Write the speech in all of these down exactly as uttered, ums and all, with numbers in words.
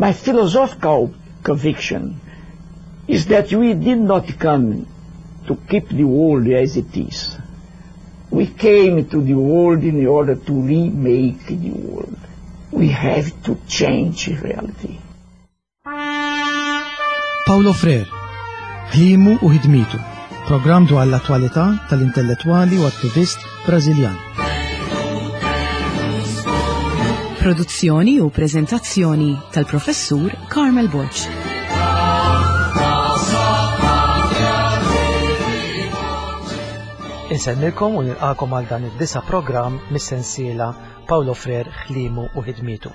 My philosophical conviction is that we did not come to keep the world as it is. We came to the world in order to remake the world. We have to change reality. Paulo Freire, ħlimu u ħidmitu, programm dwar l-attwalità tal-intellettwali u attivist Brażiljan. Produzzjoni u preżentazzjoni tal-Professur Carmel Borg. Insellmilkom u nilqakom għal dan id-disa programm mis-sensiela Paulo Freire ħlimu u ħidmitu.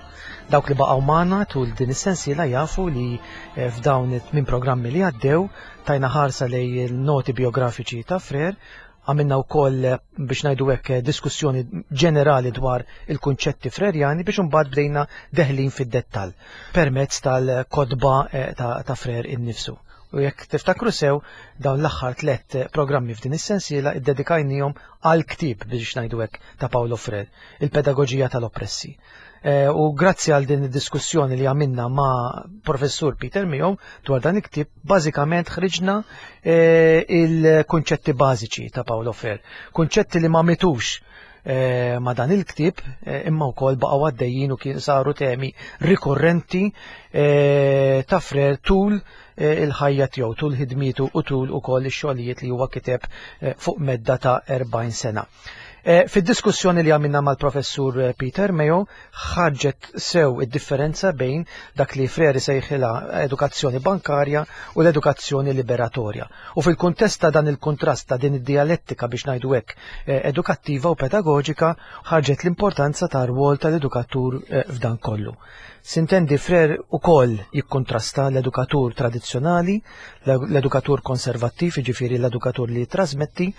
Dawk li baqgħu magħna tul din is-sensiela jafu li eh, f'dawn it-tmien programmi li għaddew tajna ħarsa lej il-noti biografiċi ta' Freire, għamilna wkoll eh, biex ngħidu hekk eh, diskussjoni ġenerali dwar il-kunċetti frerjani biex imbagħad bdejna deħlin fid-dettall permezz tal-kotba ta', ta Freire innifsu. U jekk tiftakru sew dawn l-aħħar tliet programmi f'din is-sensiela iddedikajnihom għal ktieb biex ngħidu hekk ta' Paulo Freire, il-Pedagoġija tal-Oppressi. E, u grazzi għal din id-diskussjoni li għamilna ma' professur Peter Mayo dwar dan il-ktieb, bażikament ħriġna e, il-kunċetti bażiċi ta' Paulo Freire, kunċetti li ma mitux e, ma' dan il-ktieb, imma wkoll baqgħu għaddejjin u kien saru temi rikorrenti ta' Freire tul il-ħajja tiegħu, tul ħidmietu u tul ukoll ix-xogħlijiet li huwa kiteb fuq medda ta' erbgħin sena. Fid-diskussjoni li għamilna mal-professur Peter Mayo ħarġet sew id-differenza bejn dak li Freire sejħilha edukazzjoni bankarja u l-edukazzjoni liberatorja. U fil-kuntest ta' dan il-kuntrast ta' din id-dialettika biex ngħidu hekk edukattiva u pedagoġika ħarġet l-importanza ta' rwol tal-edukatur f'dan kollu. Sintendi Freire ukoll jikkontrasta l-edukatur tradizzjonali, l-edukatur konservattiv, jiġifieri l-edukatur li trasmetti,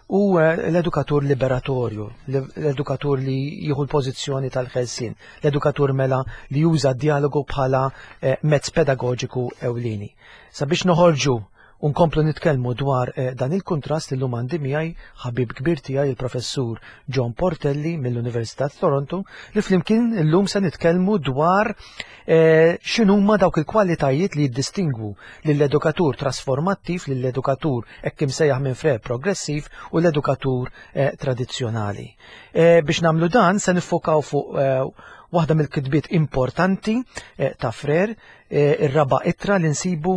u l-edukatur liberatorju, l-edukatur li jieħu l-pożizzjoni tal-ħelsien, l-edukatur mela li juża d-dialogu bħala mezz pedagoġiku ewlieni. Sabiex noħorġu u nkomplu nitkellmu dwar dan il-kuntrast illum għandi miegħi ħabib kbir tiegħi il-professur John Portelli mill-Università ta' Toronto li flimkien illum se nitkellmu dwar x'inhuma dawk il-kwalitajiet li jiddistingwu lill-edukatur trasformattiv, lill-edukatur hekk imsejjaħ minn Freire progressiv u l-edukatur tradizzjonali. Biex nagħmlu dan se niffokaw fuq waħda mill-kitbiet importanti ta' Freire, ir-raba' ittra li nsibu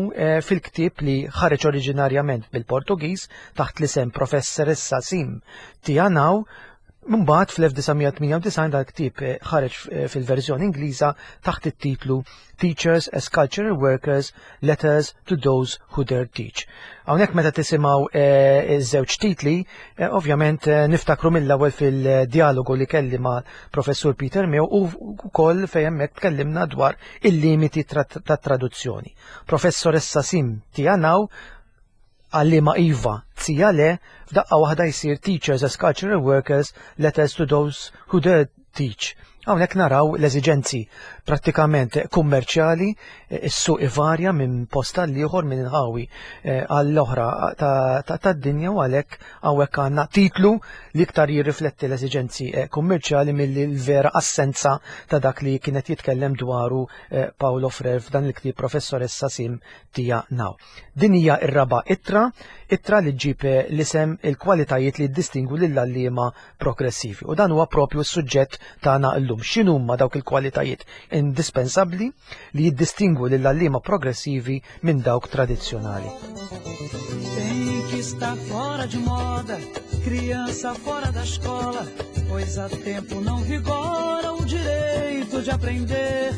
fil-ktieb li ħareġ oriġinarjament bil-Portugiż taħt l-isem Professoressa Sim Tia Nau. Mbagħad fl-elf disa' mija tmienja u disgħin dal-ktieb ħareġ fil-verżjoni Ingliża taħt it-titlu Teachers as Cultural Workers, Letters to Those Who Dare Teach. Hawnhekk meta tisimgħu iż-żewġ titli, ovvjament niftakru mill-ewwel fil-dialogu li kelli ma' Professur Peter Mayo u wkoll fejn hemmhekk tkellimna dwar il-limiti tat-traduzzjoni. Professoressa Sim Tia Nau għallima Iva, tzija le, f'daqqa waħda jsir Teachers as Cultural Workers, Letters to Those Who Dare Teach. Hawnhekk naraw l-eżiġenzi prattikament kummerċjali, is-suq ivarja minn post għal ieħor, minn inħawi għall-oħra tad-dinja, u għalhekk hawnhekk għandna titlu li iktar jirrifletti l-eżiġenzi kummerċjali milli l-vera assenza ta' dak li kienet jitkellem dwaru Paulo Freire f'dan il-ktieb Professoressa Sim Tia Nau. Din hija r-raba' ittra, ittra li ġġib l-isem il-kwalitajiet li jiddistingwu lill-għalliema progressivi. U dan huwa propju s-suġġett tagħna llum. X'inhuma dawk il-kwalitajiet indispensabbli li jiddistingwu lill-għalliema progressivi minn dawk tradizzjonali. Tem que estar fora de moda, criança fora da escola, pois há tempo não vigora o direito de aprender.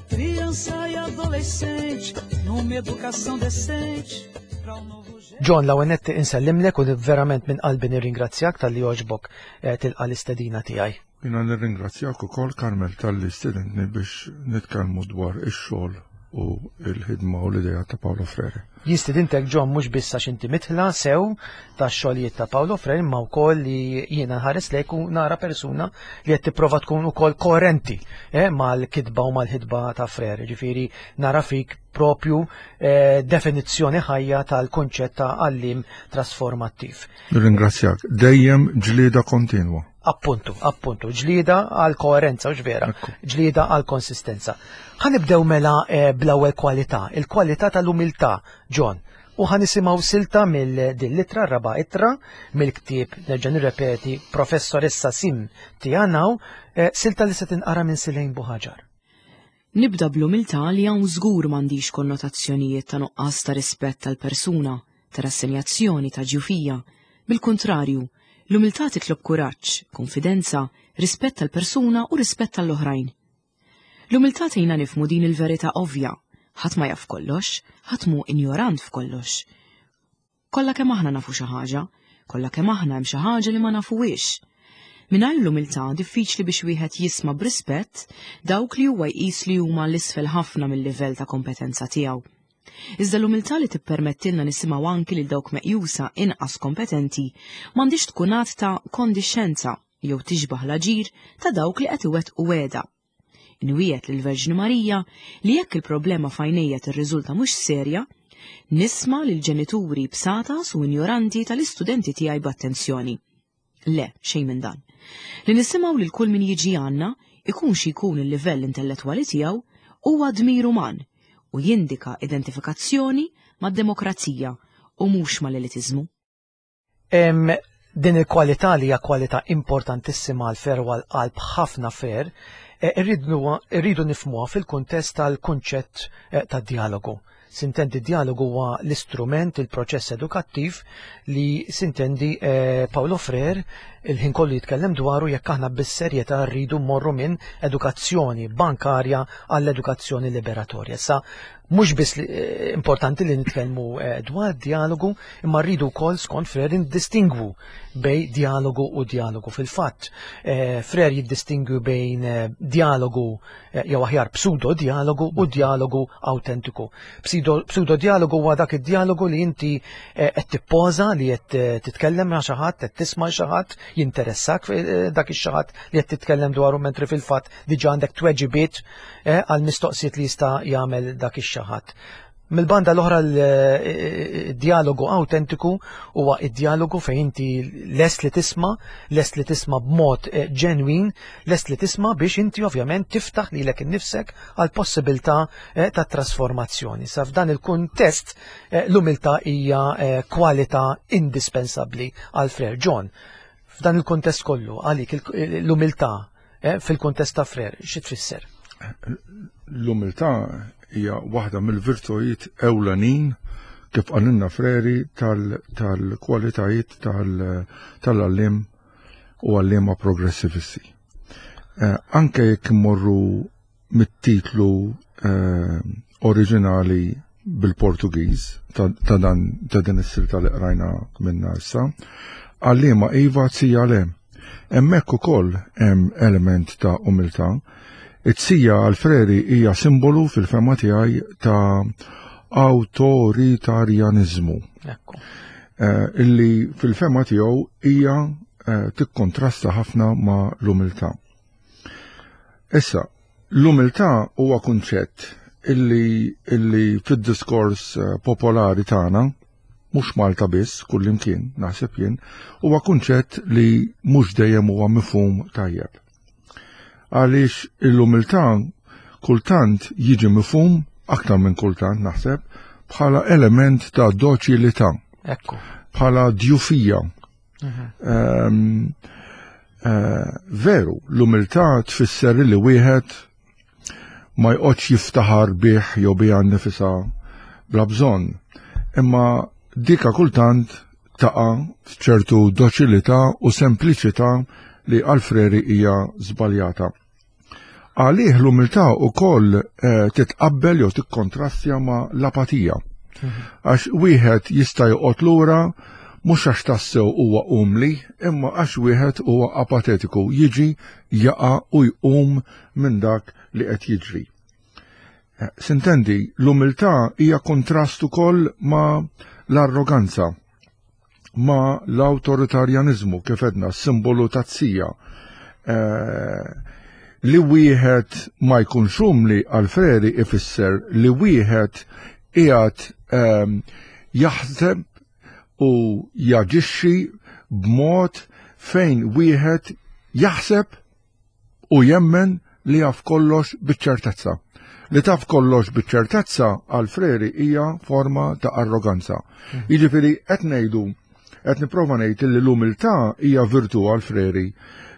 Criança e adolescente, numa educação decente, pra um novo John, l-ewwel nett insellimlek u verament minn qalbi nirringrazzjak talli għoġbok tilqa' l-istedina tiegħi. Jiena nirringrazzjak ukoll, Carmel, talli stedintni biex nitkellmu dwar ix-xogħol u l-ħidma u l-idea ta' Paulo Freire. Jien stedintek, John, mhux biss għax inti mitħla sew tax-xogħlijiet ta' Paulo Freire, imma wkoll li jiena nħares lejk u nara persuna li qed tipprova tkun ukoll koerenti, eh, mal-kitba u mal-ħidba ta' Freire. Ġifieri nara fik propju, eh, definizzjoni ħajja tal-kunċett ta' għalliem trasformattiv. Nirringrazzjak. Dejjem ġlieda kontinwa. Appuntu, appuntu, ġlieda għal koerenza, u vera, ġlieda għal konsistenza. Ħa nibdew mela eh, bl-ewwel kwalità, il-kwalità tal-umiltà, John. U ħa nisimgħu silta mill-din l-ittra, raba' ittra, mill-ktieb, nerġa' nirrepeti, Professoressa Sim Tianaw, eh, silta li se tinqara minn Silejn Buħaġar. Nibda bl-umiltà li hawn żgur m'għandix konnotazzjonijiet ta' nuqqas ta' rispett tal-persuna, ta' rassenjazzjoni, ta' ġufija. Bil-kontrarju, l-umiltà titlob kuraġġ, konfidenza, rispett tal-persuna u rispett tal-oħrajn. L-umiltà tgħinna nifhmu din il-verità ovvja, ħadd ma jaf kollox, ħadd mhu injorant f'kollox. Kollha kemm aħna nafu xi ħaġa, kollha kemm aħna hemm xi ħaġa li ma nafuhiex. Mingħajr l-umiltà diffiċli biex wieħed jisma' b'rispett dawk li huwa jqis li huma l-isfel ħafna mill-livell ta' kompetenza tiegħu. Iżda l-umiltà li tippermettilna nisimgħu anki lil dawk meqjusa inqas kompetenti m'għandix tkun att ta' kondixxenza jew tixbaħ l-aġir ta' dawk li qed iwettqu wegħda. Inwiegħed lill-Verġni Marija li jekk il-problema f'għajnejja tirriżulta mhux serja, nisma' lil ġenituri bsatas u injoranti tal-istudenti tiegħi b'attenzjoni. Le, xejn minn dan. Li nisimgħu lil kull min jiġi għandna, ikun xi jkun il-livell intellettwali tiegħu, huwa dmir uman u jindika identifikazzjoni mad-demokrazija u mhux mal-elitiżmu. Em, din il-kwalità li hija kwalità importantissima għal Frere u għal qalb ħafna Frere, eh, irridu irridu nifhmuha fil-kuntest tal-kunċett eh, tad-dialogu. Sintendi dialogu huwa l-istrument, il-proċess edukattiv li sintendi eh, Paulo Frere il-ħin kollu jitkellem dwaru jekk aħna bis-serjetà rridu mmorru minn edukazzjoni bankarja għall-edukazzjoni liberatorja. Sa mhux biss li- eh, importanti li nitkellmu eh, dwar dialogu, imma rridu wkoll skont Frere ndistingwu bejn dialogu u dialogu. Fil-fatt, eh, Frere jiddistingwi bejn eh, dialogu eh, jew aħjar pseudo dialogu u dialogu autentiku. Pseudo, pseudo dialogu huwa dak id-dialogu li inti eh, qed tippoża li qed eh, titkellem ma' xi ħadd, qed tisma' xi ħadd, jinteressak eh, dak ix-xi ħadd li qed titkellem dwaru mentri fil-fatt diġà għandek tweġibiet eh, għal mistoqsijiet li jista' jagħmel dak ix-xi ħadd. Mill-banda l-oħra l-dialogu autentiku huwa id-dialogu fejn inti lest li tisma', lest li tisma' b'mod eh, ġenwin, lest li tisma' biex inti ovvjament tiftaħ lilek innifsek għal possibilità eh, ta' trasformazzjoni. Sa f'dan il-kuntest eh, l-umiltà hija eh, kwalità indispensabbli għal Frere John. F'dan il-kuntest kollu għalik il- l-umiltà eh, fil-kuntest ta' Frere xi tfisser? L-umiltà hija waħda mill-virtujiet ewlenin kif qalilna Frere tal- tal-kwalitajiet tal- tal-għalliem u għalliema progressivisti. Eh, anke jekk immorru mit-titlu eh, oriġinali bil-Portugiż ta' ta' dan ta' din is-silta li qrajna minna issa, għalliema iva tija le. Hemmhekk ukoll hemm element ta' umiltà. It-tija għal Frere hija simbolu fil-fehma tiegħi ta' awtoritarjanizmu. Ekku. Eh, illi fil-fehma tiegħu hija eh, tikkontrasta ħafna ma' l-umiltà. Issa, l-umiltà huwa kunċett illi, illi fid-diskors eh, popolari tagħna, mhux Malta biss, kullimkien, naħseb jien, huwa kunċett li mhux dejjem huwa mifhum tajjeb. Għaliex l-umiltà kultant jiġi mifhum, aktar minn kultant naħseb, bħala element ta' doċilità, Ekku. bħala djufija. Um, uh, veru, l-umiltà tfisser li wieħed ma jqgħodx jiftaħar bih jew biha nnifisha bla bżonn. Imma dika kultant taqa' f'ċertu doċilità u sempliċità li għal Frere hija żbaljata. Għalih l-umiltà ukoll eh, titqabbel jew tikkontrastja ma' l-apatija. Għax wieħed jista' joqgħod lura mhux għax tassew huwa umli, imma għax wieħed huwa apatetiku, jiġi jaqa' u jqum minn dak li qed jiġri. Eh, Sintendi, l-umiltà hija kontrast ukoll ma' l-arroganza, ma' l-awtoritarjanizmu, kif għedna, simbolu taz-zija. Eh, li wieħed ma jkunx umli għal Frere ifisser li wieħed qiegħed ehm, jaħseb u jaġixxi b'mod fejn wieħed jaħseb u jemmen li jaf kollox biċ-ċertezza. Li taf kollox biċ-ċertezza għal Freire hija forma ta' arroganza. Mhm. Jiġifieri qed ngħidu qed nipprova ngħid li l-umiltà hija virtù għal Freire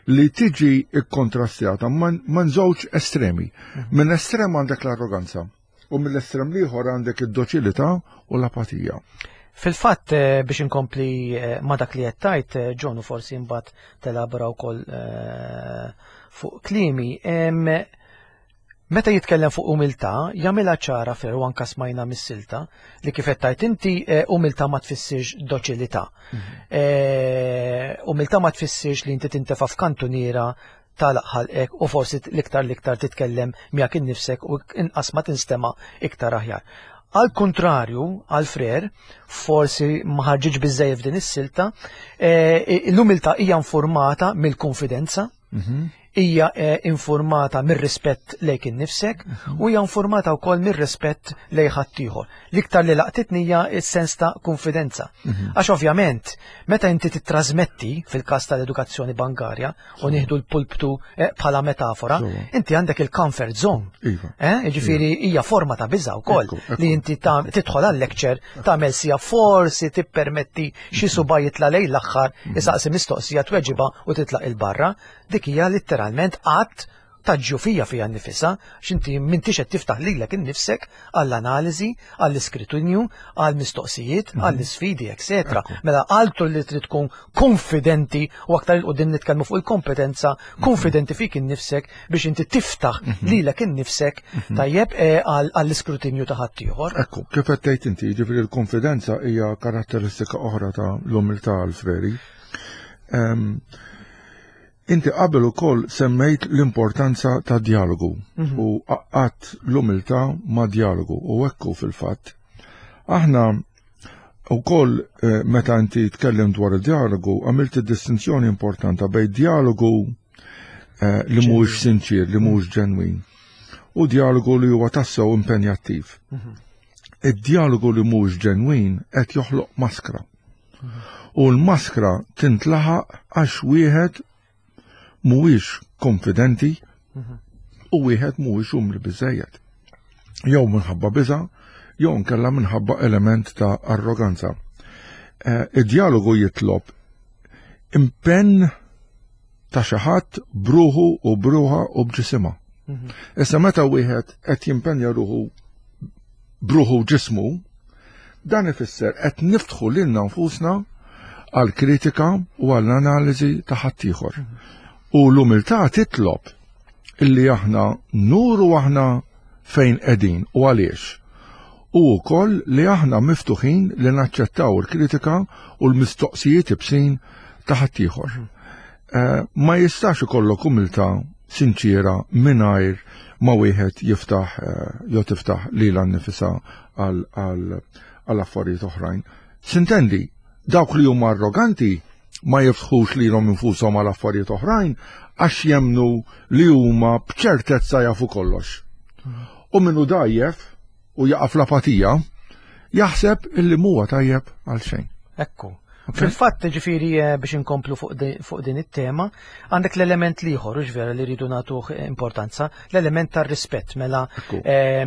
li tiġi ikkontrastjata man żewġ estremi. Mhm. Minn estrem għandek l-arroganza u mill-estrem l-ieħor għandek id-doċilità u l-apatija. Fil-fatt eh, biex inkompli eh, ma dak li qed tgħid, eh, John, u forsi mbagħad telabora wkoll fuq kliemi, meta jitkellem fuq umiltà, jagħmilha ċara fer u anka smajna mis-silta li kif qed tgħid inti, umiltà ma tfissirx doċilità. Mhm. Umiltà ma tfissirx li inti tintefa' f'kantuniera tagħlaq ħalqek u forsi l-iktar l-iktar titkellem miegħek innifsek u inqas ma tinstema' iktar aħjar. Al kontrarju, għal Freire, forsi ma ħarġitx biżejjed f'din is-silta, eh, l-umiltà hija informata mill-konfidenza, mhm. hija eh, informata mir-rispett lejk innifsek mhm. u hija informata wkoll mir-rispett lejn ħaddieħor. L-iktar li laqtitni hija s-sens ta' konfidenza. Mhm. Għax ovvjament, meta inti titrasmetti fil-każ tal-edukazzjoni bankarja u nieħdu l-pulptu eh, bħala metafora, inti għandek il-comfort zone. Iva. Eh, Ġifieri hija forma ta' biża' wkoll li inti tidħol għal-lecture tagħmel sija forsi tippermetti xi suba jitla' lejn l-aħħar isaqsi mistoqsija tweġiba u titlaq il-barra. Dik hija letteralment att ta' ġufija fija nnifisha, x'inti m'intix qed tiftaħ lilek innifsek għall-analiżi, għall-iskrutinju, għall-mistoqsijiet, mhm. għall-isfidi, etc. Mela altru li trid tkun konfidenti u aktar 'il quddiem nitkellmu fuq il-kompetenza, mhm. konfidenti fik innifsek biex inti tiftaħ mhm. lilek innifsek tajjeb eh, għall-iskrutinju ta' ħaddieħor. Ekku, kif qed tgħid inti, jiġifieri l-konfidenza hija karatteristika oħra ta' l-umiltà għal Freire. Inti qabel ukoll semmejt l-importanza ta' dialogu mhm. u għaqqadt l-umiltà ma' dialogu u ekku fil-fatt. Aħna ukoll eh, meta inti tkellem dwar il-dialogu għamilt distinzjoni importanta bejn dialogu eh, li mhuwiex sinċir, li mhuwiex ġenwin u dialogu li huwa tassew impenjattiv. Mhm. Id-dialogu li mhuwiex ġenwin qed joħloq maskra. Mhm. U l-maskra tintlaħaq għax wieħed mhuwiex konfidenti u wieħed mhuwiex umli biżejjed. Jew minħabba biża, jew nkella minħabba element ta' arroganza. Eh, id-dialogu jitlob impenn ta' xi ħadd bruħu u bruħa u b'ġisimha. Mhm. Issa meta wieħed qed jimpenja ruħu bruħu ġismu, dan ifisser qed niftħu lilna nfusna għal kritika u għall analiżi ta' ħaddieħor. Mhm. U l-umiltà titlob illi aħna nuru aħna fejn qegħdin u għaliex. U wkoll li aħna miftuħin li naċċettaw il-kritika u l-mistoqsijiet ibsin ta' ħaddieħor. Mhm. Eh, ma jistax ikollok umiltà sinċira mingħajr ma wieħed jiftaħ eh, jew tiftaħ lilha nnifisha għal affarijiet oħrajn. Sintendi, dawk li huma arroganti ma jiftħux lilhom infushom għal affarijiet oħrajn għax jemnu li huma b'ċertezza jafu kollox. U minnu dajjef u jaqa' fl-apatija, jaħseb illi muwa tajjeb għal xejn. Ekku. Fil-fatt, ġifieri eh, biex inkomplu fuq din it-tema, għandek l-element l-ieħor, vera li rridu nagħtuh importanza, l-element tar-rispett. Mela, eh,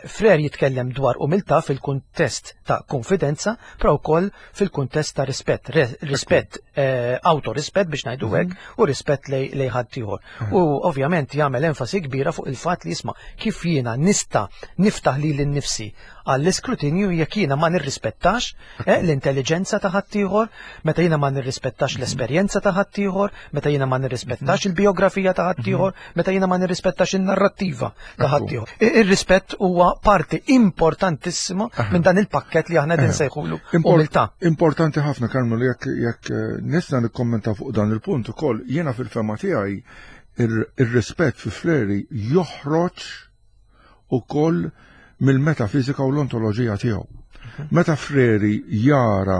Freire jitkellem dwar umiltà fil-kuntest ta' konfidenza, però wkoll fil-kuntest ta' rispett, rispett, eh, autorispett biex ngħidu hekk, mhm. u rispett lej ħaddieħor. Mhm. U ovvjament jagħmel enfasi kbira fuq il-fatt li jisma' kif jiena nista' niftaħ lili nnifsi għall-iskrutinju jekk jiena ma nirrispettax eh, l-intelligenza ta' ħaddieħor, meta jiena ma nirrispettax mhm. l-esperjenza ta' ħaddieħor, meta jiena ma nirrispettax il-biografija ta' ħaddieħor, meta jiena ma nirrispettax in-narrattiva ta' ħaddieħor. Ir-rispett huwa parti importantissima minn dan il-pakket li aħna din sejħulu umiltà. Importanti ħafna Karmel jekk jekk eh, nista' nikkommenta fuq dan il-punt ukoll jiena fil-fehma tiegħi ir-rispett fi Freire joħroġ ukoll mill-metafizika u l-ontoloġija tiegħu. Mhm. Meta Freire jara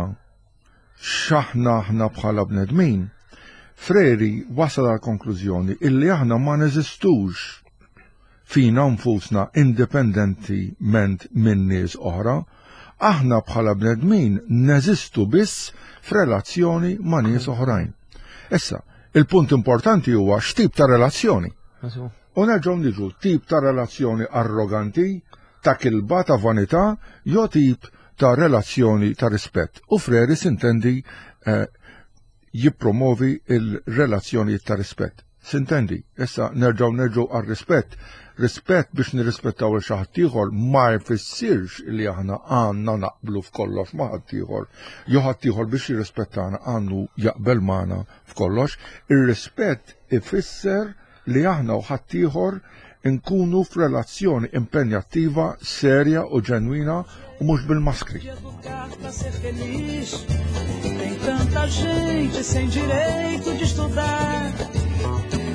x'aħna aħna bħala bnedmin, Freire wasal għal konklużjoni illi aħna ma neżistux fina nfusna indipendentiment minn nies oħra, aħna bħala bnedmin neżistu biss f'relazzjoni ma' nies oħrajn. Issa, Il-punt importanti huwa x'tip ta' relazzjoni. U nerġgħu niġu tip ta' relazzjoni arroganti, ta' kilba, ta' vanità, jew tip ta' relazzjoni ta' rispett. U Freri sintendi eh, jippromovi il-relazzjoni ta' rispett. Sintendi, issa nerġgħu nerġgħu għar-rispett. Rispett biex nirrispettaw il xi ħadd ieħor ma jfissirx li aħna għandna naqblu f'kollox ma' ħaddieħor. Jew ħaddieħor biex jirrispettana għandu jaqbel magħna f'kollox. Ir-rispett ifisser li aħna u ħaddieħor nkunu f'relazzjoni impenjattiva, serja u ġenwina u mhux bil-maskri. Educar pra ser feliz. Tem tanta gente sem direito de estudar.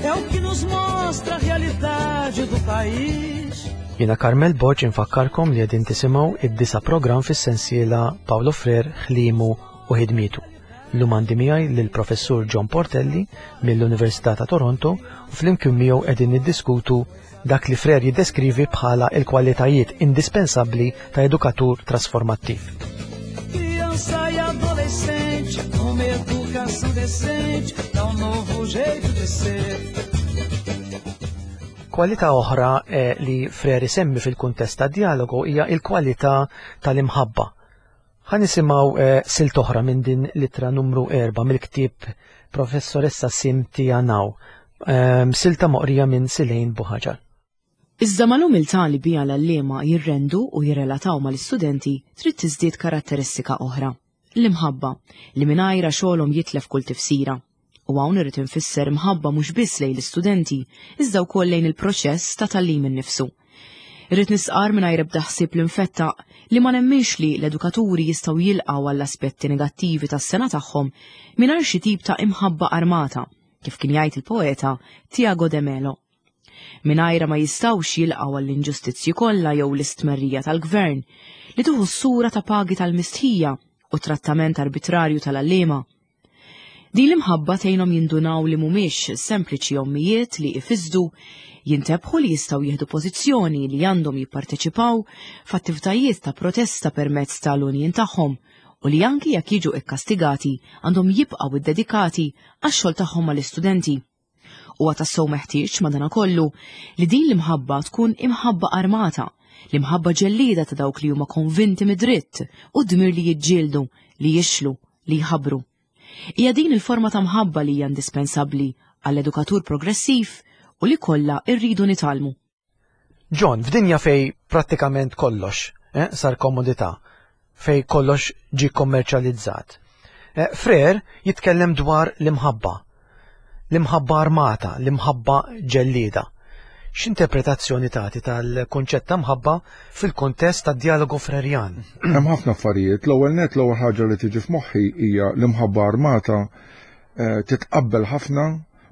É o que nos mostra a realidade do país. Jiena Carmel Borg infakkarkom li qegħdin tisimgħu id-disa' programm fis-sensiela Paulo Freire, ħliemu u ħidmietu. Illum għandi miegħi lill-Professur John Portelli mill-Università ta' Toronto u flimkien miegħu qegħdin niddiskutu dak li Freire jiddeskrivi bħala il-kwalitajiet indispensabbli ta' edukatur trasformattiv. Criança e adolescente, uma educação decente, dá um novo jeito de ser. Kwalità oħra eh, li Freire semmi fil-kuntest ta' dialogu hija il-kwalità tal-imħabba. Ħa nisimgħu eh, silta oħra minn din l-ittra numru erba' mill-ktieb Professoressa Sim Tia Nao. Eh, silta moqrija minn Silejn Buħaġar. Iżda mal-umiltà li bija l-għalliema jirrendu u jirrelataw mal-istudenti trid tiżdied karatteristika oħra. L-imħabba, li mingħajrha xogħolhom jitlef kull tifsira. U hawn irrid infisser imħabba mhux biss lejn l-istudenti, iżda wkoll lejn il-proċess ta' tagħlim innifsu. Irrid nistqarr mingħajr ebda ħsieb li nfettaq li ma nemminx li l-edukaturi jistgħu jilqgħu għall-aspetti negattivi tas-sengħa tagħhom mingħajr xi tip ta' imħabba armata, kif kien jgħid il-poeta Tiago de Melo. Mingħajrha ma jistgħux jilqgħu għall-inġustizzji kollha jew l-istmerrija tal-gvern li tieħu s-sura ta' pagi tal-mistħija u trattament arbitrarju tal-għalliema. Din l-imħabba tgħinhom jindunaw li mhumiex sempliċi ommijiet li ifisdu, jintebħu li jistgħu jieħdu pożizzjoni li għandhom jipparteċipaw f'attivitajiet ta' protesta permezz tal-unjin tagħhom u li anki jekk jiġu ikkastigati għandhom jibqgħu iddedikati għax-xogħol tagħhom mal-istudenti. Huwa tassew meħtieġ madanakollu li din l-imħabba tkun imħabba armata, l-imħabba ġellieda ta' dawk li huma konvinti mid-dritt u dmir li jiġġieldu, li jixlu, li jħabbru. Hija din il-forma ta' mħabba li hija indispensabbli għall-edukatur progressiv u li kollha rridu nitgħallmu. John, f'dinja fej prattikament kollox eh, sar komodità, fej kollox ġi kommerċjalizzat. Eh, Freire jitkellem dwar l-imħabba, l-imħabba armata, l-imħabba ġellieda. X'interpretazzjoni tagħti tal-kunċett ta' mħabba fil-kuntest tad-dialogu Frerjan? Hemm ħafna affarijiet. L-ewwel net, l-ewwel ħaġa li tiġi f'moħħi hija l-imħabba armata eh, titqabbel ħafna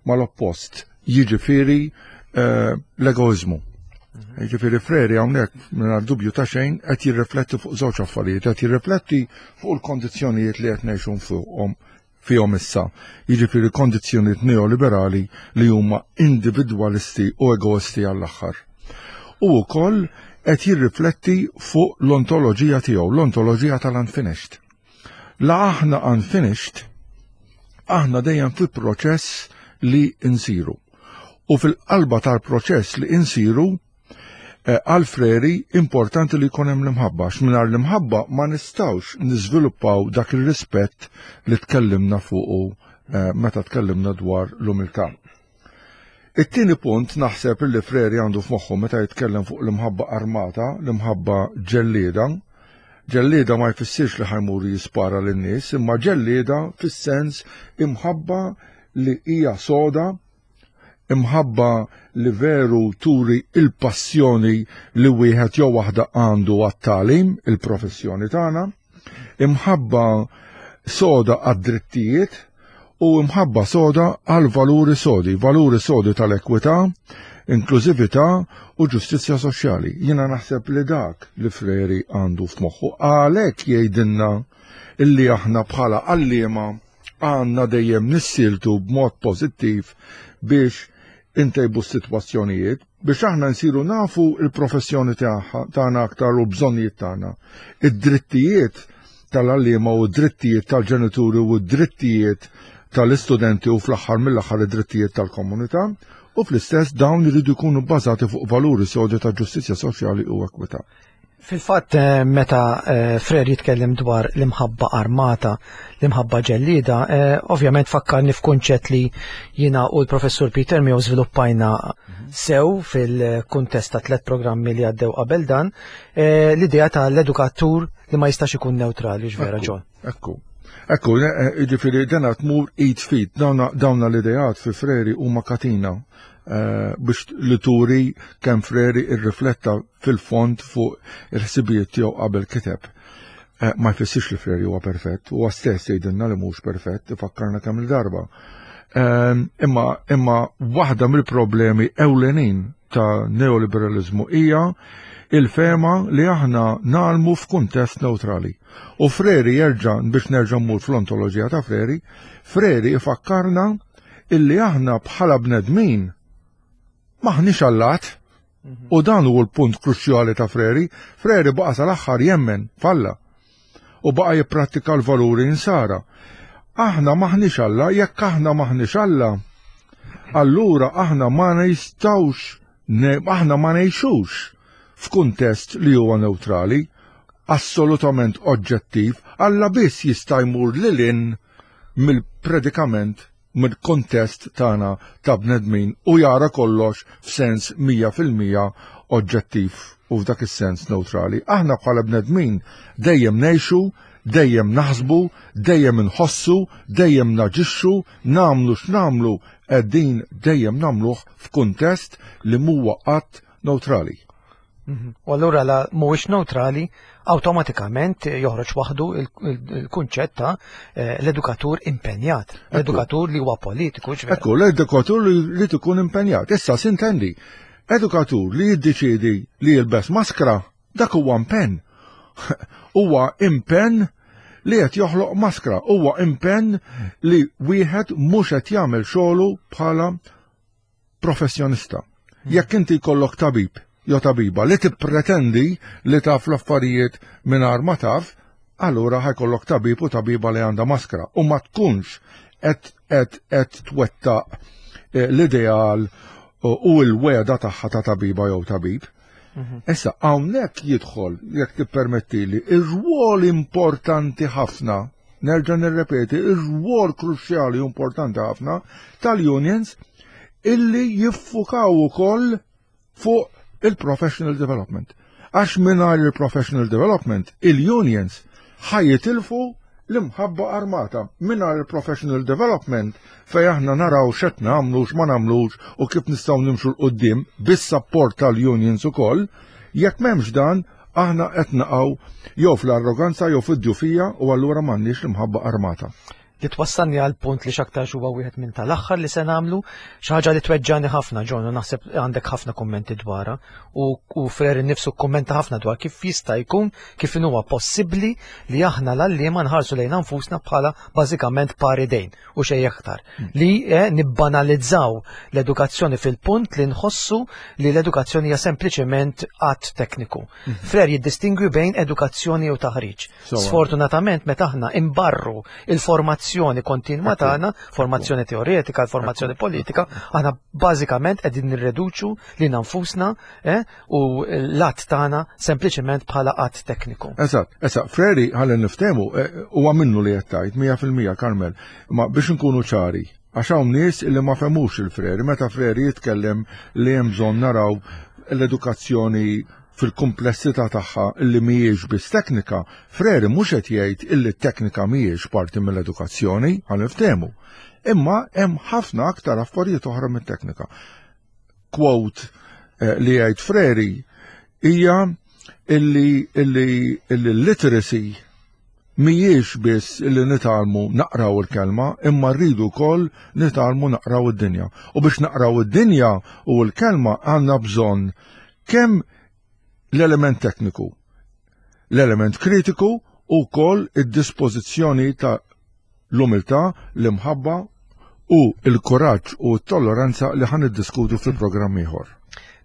mal-oppost, jiġifieri eh, l-egoiżmu. Jiġifieri Freire hawnhekk mingħajr dubju ta' xejn qed jirrifletti fuq żewġ affarijiet, qed jirrifletti fuq il-kondizzjonijiet li qed ngħixu fuqhom fihom issa. Jiġifieri kondizzjonijiet neoliberali li huma individwalisti u egoisti għall-aħħar. U wkoll qed jirrifletti fuq l-ontoloġija tiegħu, l-ontoloġija tal-unfinished. La aħna unfinished, aħna dejjem fi proċess li insiru. U fil-qalba tal-proċess li insiru, eh, għal Freire importanti li jkun hemm l-imħabba, għax mingħajr l-imħabba ma nistgħux niżviluppaw dak ir-rispett li tkellimna fuqu eh, meta tkellimna dwar l-umiltà. It-tieni punt naħseb li Freire għandu f'moħħu meta jitkellem fuq l-imħabba armata, l-imħabba ġellieda. Ġellieda ma jfissirx li ħa jmur jispara lin-nies, imma ġellieda fis-sens imħabba li hija soda, imħabba li veru turi il-passjoni li wieħed jew waħda għandu għat-tagħlim, il-professjoni tagħna, imħabba soda għad-drittijiet u imħabba soda għal valuri sodi, valuri sodi tal-ekwità, inklużività u ġustizzja soċjali. Jiena naħseb li dak li Freire għandu f'moħħu għalhekk jgħidilna illi aħna bħala għalliema għandna dejjem nissieltu b'mod pożittiv biex intejbu s-sitwazzjonijiet, biex aħna nsiru nafu il-professjoni tagħna aktar u bżonnijiet tagħna. Id-drittijiet tal-għalliema u d-drittijiet tal-ġenituri u d-drittijiet tal-istudenti u fl-aħħar mill-aħħar id-drittijiet tal-komunità, u fl-istess dawn iridu jkunu bbażati fuq valuri sodi ta' ġustizzja soċjali u ekwità. Fil-fatt, eh, meta eh, Frere jitkellem dwar l-imħabba armata, l-imħabba ġellida, eh, ovvjament fakkarni f'kunċett li jiena u l-professur Peter Mayo żviluppajna sew fil-kuntest ta' tliet programmi li għaddew qabel dan, l-idea ta' l-edukatur li ma jistax ikun neutrali, ġvera, John. Ekku. Ekku, ġifieri dana tmur id f'id, dawna l-ideat fi Frere huma katina biex li turi kemm Frere irrifletta fil-fond fuq il-ħsibijiet tiegħu qabel kiteb. Ma jfissirx li Frere huwa perfett, huwa stess jgħidilna li mhux perfett, ifakkarna kemm il-darba. Imma imma waħda mill-problemi ewlenin ta' neoliberalizmu hija il-fema li aħna nagħmlu f'kuntest neutrali. U Frere jerġa' biex nerġa' mmur fl-ontoloġija ta' Frere, Frere ifakkarna illi aħna bħala bnedmin maħniex allat. U dan hu l-punt kruċjali ta' Frere. Frere baqa' sal-aħħar jemmen f'Alla u baqa' jipprattika l-valuri insara. Aħna maħniex Alla, jekk aħna maħniex Alla, allura aħna ma nistgħux, aħna ma ngħixux f'kuntest li huwa neutrali, assolutament oġġettiv. Alla biss jista' jmur lil hinn mill-predikament, mill-kontest tagħna ta' bnedmin u jara kollox f'sens mija fil-mija oġġettiv u f'dak is-sens neutrali. Aħna bħala bnedmin dejjem ngħixu, dejjem naħsbu, dejjem inħossu, dejjem naġixxu, nagħmlu x'nagħmlu qegħdin dejjem nagħmluh f'kuntest li mhuwa qatt neutrali. U allura la mhuwiex neutrali, awtomatikament joħroġ waħdu il-kunċett ta' l-edukatur impenjat, l-edukatur li huwa politiku. Ekku, l-edukatur li tkun impenjat. Issa sintendi, edukatur li jiddeċiedi li jilbes maskra, dak huwa impenn. Huwa impenn li qed joħloq maskra, huwa impenn li wieħed mhux qed jagħmel xogħlu bħala professjonista. Jekk inti jkollok tabib jew tabiba li tippretendi li taf l-affarijiet mingħajr ma taf, allura ħajkollok tabib u tabiba li għandha maskra u ma tkunx qed qed qed twettaq l-ideal u l-weda tagħha ta' tabiba jew tabib. Issa hawnhekk jidħol, jekk tippermettili, ir-rwol importanti ħafna, nerġa' nirrepeti, ir-rwol kruċjali importanti ħafna tal-unions illi jiffukaw ukoll fuq il-professional development. Għax mingħajr il-professional development, il-unions ħajitilfu l-imħabba armata. Mingħajr il-professional development fej aħna naraw x'qed nagħmlu, x'ma nagħmlux u kif nistgħu nimxu 'l quddiem bis-support tal-unions ukoll, jekk m'hemmx dan, aħna qed naqgħu jew fl-arroganza jew fid-djufija u allura m'għandniex l-imħabba armata. Li twassalni għal punt li x'aktarx huwa wieħed minn tal-aħħar li se nagħmlu, xi ħaġa li tweġġani ħafna, John, u naħseb għandek ħafna kummenti dwarha, u, u Frere nnifsu kummenta ħafna dwar kif jista' jkun, kif huwa possibbli li aħna l-għalliema nħarsu lejn nfusna bħala bażikament pari dejn u xejn aktar. Li, eh, nibbanalizzaw l-edukazzjoni fil-punt li nħossu li l-edukazzjoni hija sempliċement att tekniku. Frere jiddistingwi bejn edukazzjoni u taħriġ. Sfortunatament meta aħna imbarru il-formazzjoni kontinwa tagħna, formazzjoni teoretika, formazzjoni politika, aħna bażikament qegħdin nirreduċu li nfusna, eh, u l-att tagħna sempliċement bħala att tekniku. Eżatt, eżatt, Frere ħalli niftehmu, eh, huwa minnu li qed tgħid mija fil-mija, Carmel, ma biex nkunu ċari, għax hawn nies li ma fehmux il-Frere, meta Frere jitkellem li hemm bżonn naraw l-edukazzjoni fil-komplessità tagħha illi mhijiex biss teknika, Frere mhux qed jgħid illi t-teknika mhijiex parti mill-edukazzjoni, ħa niftehmu. Imma hemm ħafna aktar affarijiet oħra mit-teknika. Quote, eh, li jgħid Frere hija illi, illi, illi literacy mhijiex biss illi nitgħallmu naqraw il-kelma, imma rridu wkoll nitgħallmu naqraw id-dinja. U biex naqraw id-dinja u l-kelma għandna bżonn kemm l-element tekniku, l-element kritiku u wkoll id-dispożizzjoni ta' l-umiltà, l-imħabba u l-kuraġġ u t-tolleranza li ħan iddiskutu fil-programm ieħor.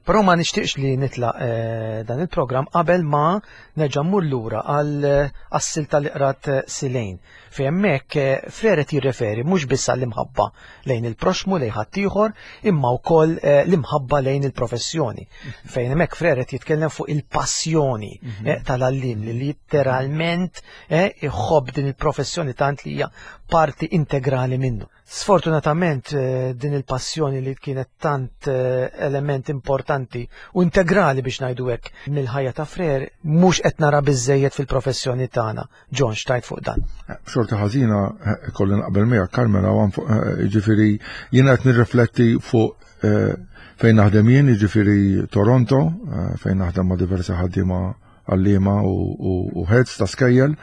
Però ma nixtieqx li nitlaq eh, dan il-programm qabel ma nerġa' mmur lura għal eh, għas-silta li qrat eh, Silejn. Fejn hemmhekk Frere jirreferi mhux biss għall-imħabba lejn il-proxmu lejn ħaddieħor, imma wkoll l-imħabba lejn il-professjoni. Fejn hemmhekk Frere jitkellem fuq il-passjoni mhm. tal-għallim li literalment iħobb din il-professjoni tant li hija parti integrali minnu. Sfortunatament eh, din il-passjoni li kienet tant eh, element importanti u integrali biex ngħidu hekk mill-ħajja ta' Frere mhux qed nara biżejjed fil-professjoni tagħna. John, x'tgħid fuq dan? Eh, xorta ħażina kolli naqbel miegħek Carmela, jiġifieri jiena qed nirrifletti fuq fejn naħdem jien, jiġifieri Toronto, fejn naħdem ma' diversi ħaddiema għalliema u heads ta' skejjel.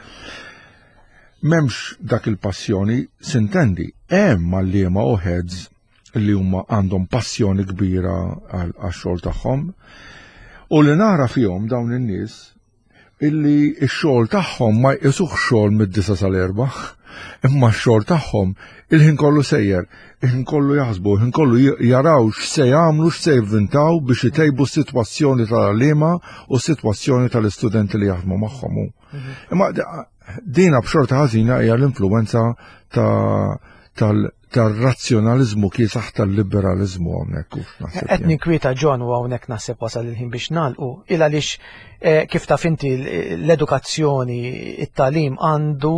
M'hemmx dak il-passjoni, s'intendi, hemm għalliema u heads li huma għandhom passjoni kbira għax-xogħol tagħhom. U li nara fihom dawn in-nies illi x-xogħol tagħhom ma jqisuh xogħol mid-disa sal-erba, imma x-xogħol tagħhom il-ħin kollu sejjer, il-ħin kollu jaħsbu, il-ħin kollu jaraw x'se jagħmlu, x'se jivvintaw biex itejbu s-sitwazzjoni tal-għalliema u s-sitwazzjoni tal-istudenti li jaħdmu magħhom. Mhm. Imma dina b'xorta ħażina hija l-influenza tal-razzjonalizmu kiesaħ tal-liberalizmu hawnhekk. Qed ninkwieta John u hawnhekk naħseb wasal il-ħin biex nagħlqu il għaliex eh, kif taf inti l-edukazzjoni, it-tagħlim għandu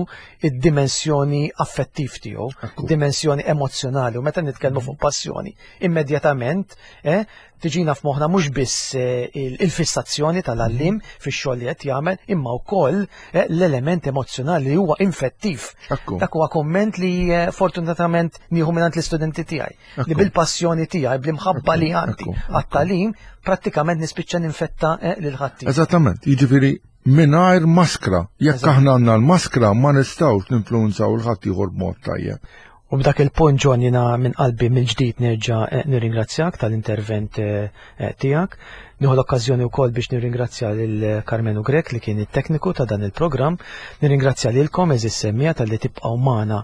id-dimensjoni affettiv tiegħu, dimensjoni emozjonali u meta nitkellmu fuq passjoni, immedjatament eh, tiġina f'moħħna mhux biss eh, il-fissazzjoni tal-għallim fix-xogħol li qed jagħmel, imma wkoll eh, l-element emozjonali li huwa infettiv. Dak huwa komment li eh, fortunatament nieħu mingħand l-istudenti tiegħi. Li bil-passjoni tiegħi, bl-imħabba li għandi għat-tagħlim, prattikament nispiċċa ninfetta lil ħadd. Eżattament, jiġifieri mingħajr maskra. Jekk aħna għandna l-maskra ma nistgħux ninfluwenzaw il-ħadd ieħor b'mod tajjeb. U b'dak il-punt John jiena minn qalbi mill-ġdid nerġa' eh, nirringrazzjak tal-intervent eh, eh, tiegħek. Nieħu l-okkażjoni wkoll biex nirringrazzja lil Karmenu Grek li kien it-tekniku ta' dan il-programm. Nirringrazzja lilkom għeżież semmiegħa talli tibqgħu magħna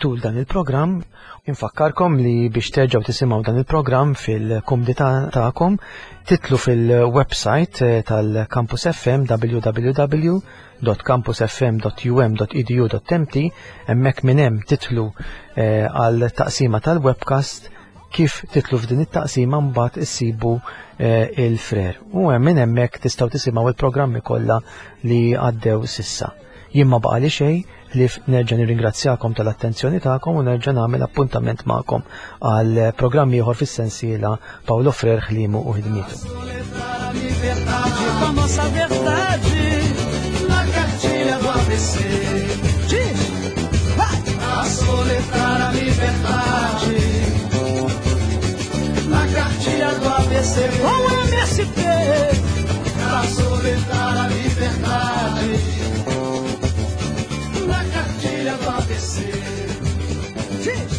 tul dan il-programm. Infakkarkom li biex terġgħu tisimgħu dan il-programm fil-kumdità tagħkom titlu fil-website tal-Campus F M w w w www.campusfm.um.edu.mt hemmhekk minn hemm titlu eh, għal taqsima tal-webcast kif titlu f'din it-taqsima mbagħad issibu eh, il-Frere. U hemm minn hemmhekk tistgħu tisimgħu il-programmi kollha li għaddew s'issa. Jien ma baqali xejn li nerġa' nirringrazzjakom tal-attenzjoni tagħkom u nerġa' nagħmel appuntament magħkom għal programm ieħor fis-sensiela Paulo Frere ħlimu u ħidmietu. Com a nossa verdade na cartilha do A B C. Diz, vai! A soletrar a liberdade na cartilha do A B C com o M S T. A soletrar a liberdade na cartilha do A B C. Diz!